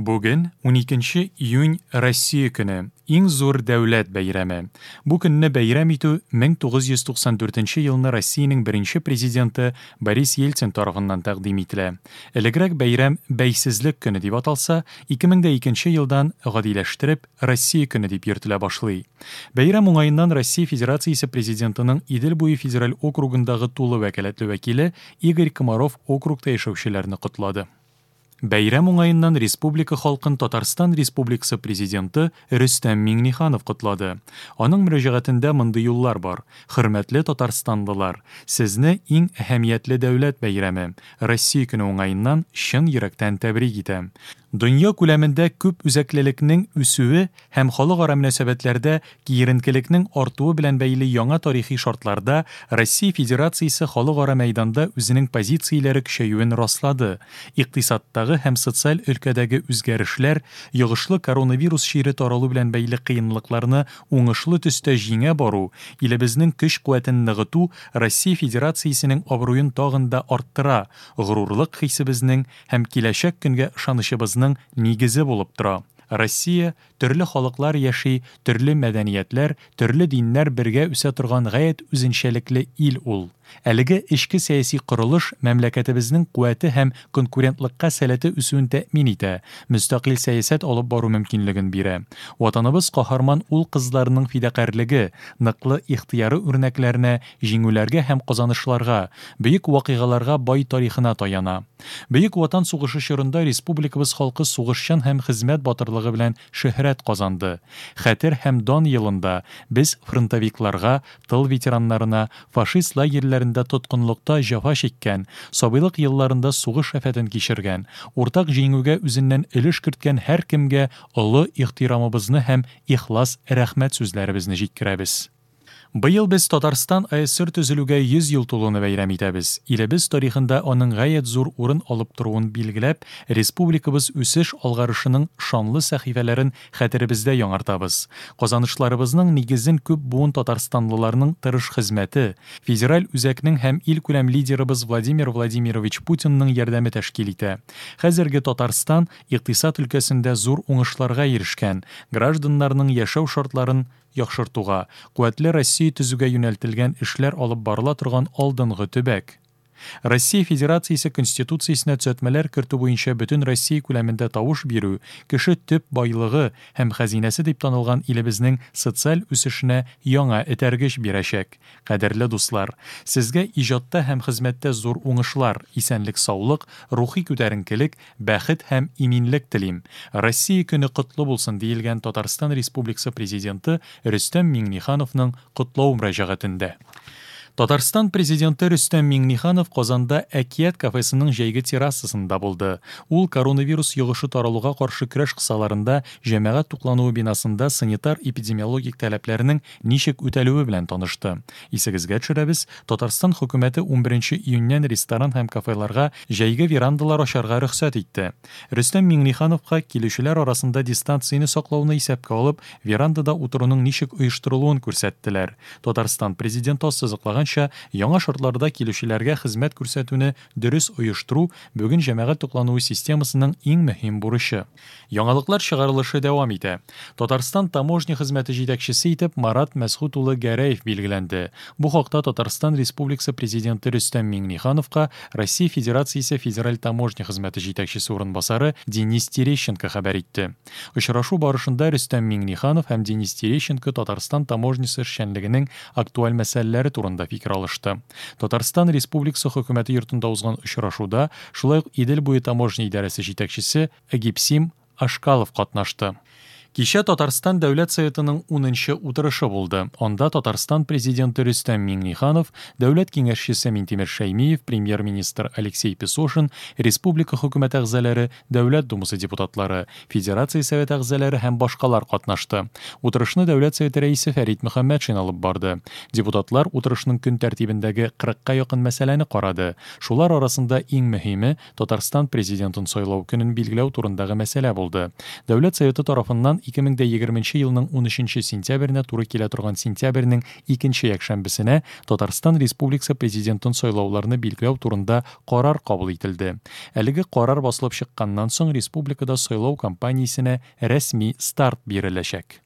Бүген, уникенче июнь Россия көне, иң зур дәүләт бәйрәме. Бу көнне бәйрәм итү 1994 нче елны Россиянең беренче президенты Борис Ельцин тарафыннан тәкъдим ителә. Элегрәк бәйрәм Бәйсезлек көне дип аталса, 2002 нче елдан, гадиләштереп, Россия көне дип йөртелә башлый. Бәйрәм уңаеннан Россия Федерациясе Президентының Идел буе федераль округындагы тулы вәкаләтле вәкиле Игорь Комаров округта яшәүчеләрне котлады. Бәйрәм уңаеннан республика халкын Татарстан Республикасы Президенты Рөстәм Миңнеханов котлады. Аның мөрәҗәгатендә мондый юллар бар, Хөрмәтле татарстанлылар! Сезне иң әһәмиятле дәүләт бәйрәме, Россия көне уңаеннан чын йөрәктән тәбрик итәм. Дөнья күләмендә күп үзәклелекнең үсүе һәм халыкара мөнәсәбәтләрдә киеренкелекнең артуы белән бәйле яңа тарихи шартларда Россия Федерациясе халыкара мәйданда үзенең позицияләре көчәюен раслады. Икътисадтагы һәм социаль өлкәдәге үзгәрешләр, йогышлы коронавирус чире таралу белән бәйле кыенлыкларны уңышлы төстә җиңә бару, илебезнең көч-куәтен ныгыту Россия Федерациясенең абруен тагын да арттыра, горурлык хисебезнең һәм киләчәк көнгә ышанычыбызның нигезе булып тора. Россия, төрле халыклар яши, төрле мәдәниятләр, төрле диннәр бергә үсә торган гаять үзенчәлекле ил ул. Әлеге эчке сәяси корылыш мәмләкәтебезнең куәте һәм конкурентлыкка сәләте үсүен тәэмин итә, мөстәкыйль сәясәт алып бару мөмкинлеген бирә. Ватаныбыз каһарман ул-кызларының фидакарьлеге, ныклы ихтыяры үрнәкләренә, җиңүләргә һәм казанышларга, бөек вакыйгаларга бай тарихына таяна. Бөек Ватан сугышы чорында республикабыз халкы сугышчан һәм хезмәт батырлыгы белән шөһрәт казанды. Хәтер һәм дан елында без фронтовикларга, тыл ветераннарына, фашист лагерьләрендә тоткынлыкта җәфа чиккән, сабыйлык елларында сугыш афәтен кичергән, уртак җиңүгә үзеннән өлеш керткән һәркемгә олы ихтирамыбызны һәм ихлас рәхмәт сүзләребезне җиткерәбез. Быел без Татарстан АССР төзелүгә 100 ел тулуны бәйрәм итәбез. Илебез тарихында аның гаять зур урын алып торуын билгеләп, республикабыз үсеш-алгарышының шанлы сәхифәләрен хәтеребездә яңартабыз. Казанышларыбызның нигезен күп буын татарстанлыларның тырыш хезмәте, федераль үзәкнең һәм илкүләм лидерыбыз Владимир Владимирович Путинның ярдәме тәшкил итә. Хәзерге Татарстан икътисад өлкәсендә зур уңышларга ирешкән, гражданнарның яшәү шартларын яхшыртуга, куәтле Россия төзүгә юнәлтелгән эшләр алып барыла торган алдынгы төбәк. Россия Федерациясе Конституциясенә төзәтмәләр кертү буенча бөтен Россия күләмендә тавыш бирү кеше төп байлыгы һәм хәзинәсе дип танылган илебезнең социаль үсешенә яңа этәргеч бирәчәк. Кадерле дуслар! Сезгә иҗатта һәм хезмәттә зур уңышлар, исәнлек-саулык, рухи күтәренкелек, Бәхет һәм иминлек телим! Россия көне котлы булсын, диелгән Татарстан Республикасы Президенты Рөстәм Миңнехановның котлау мөрәҗәгатендә. Татарстан Президенты Рөстәм Миңнеханов Казанда Әкият кафесының җәйге террасасында булды. Ул коронавирус йогышы таралуга каршы көрәш кысаларында җәмәгать туклануы бинасында санитар-эпидемиологик таләпләрнең ничек үтәлүе белән танышты. Исегезгә төшерәбез, Татарстан хөкүмәте унберенче июньнән ресторан һәм кафеларга җәйге верандалар ачарга рөхсәт итте. Рөстәм Миңнехановка, килүчеләр арасында дистанцияне саклауны исәпкә алып, верандада утыруның ничек оештырылуын күрсәттеләр. Татарстан Президенты ассызыклаганча, яңа шартларда килүчеләргә хезмәт күрсәтүне дөрес оештыру, бүген җәмәгать туклануы системасының иң мөһим бурычы. Яңалыклар чыгарылышы дәвам итә. Татарстан таможня хезмәте җитәкчесе итеп Марат Мәсгут улы Гәрәев билгеләнде. Бу хакта Татарстан Республикасы Президенты Рөстәм Миңнехановка Россия Федерациясе Федераль таможня хезмәте җитәкчесе урынбасары Денис Терещенко хәбәр итте. Очрашу барышында Рөстәм Миңнеханов һәм Денис Терещенко Татарстан таможнясы эшчәнлегенең актуаль мәсьәләләре турында фикер алышты. Татарстан Республикасы Хөкүмәте йортында узган очрашуда шулай ук Идел буе таможня идарәсе җитәкчесе Эгипсим Ашкалов катнашты. Кичә Татарстан Дәүләт Советының унынчы утырышы булды. Анда Татарстан Президенты Рөстәм Миңнеханов, Дәүләт Киңәшчесе Минтимер Шәймиев, Премьер-министр Алексей Песошин, республика Хөкүмәте әгъзалары, Дәүләт Думасы депутатлары, Федерация Советы әгъзалары һәм башкалар катнашты. Утырышны Дәүләт Советы Рәисе Фәрит Мөхәммәтшин алып барды. Депутатлар утырышның көн тәртибендәге кырыкка якын мәсьәләне карады. Шулар арасында иң мөһиме, Татарстан Президентын сайлау көнен билгеләү турындагы мәсьәлә булды. Дәүләт Советы тарафыннан 2020 елның 13 сентябренә туры килә торган сентябрьнең икенче якшәмбесенә Татарстан Республикасы Президентын сайлауларны билгеләү турында карар кабул ителде. Әлеге карар басылып чыкканнан соң республикада сайлау кампаниясенә рәсми старт биреләчәк.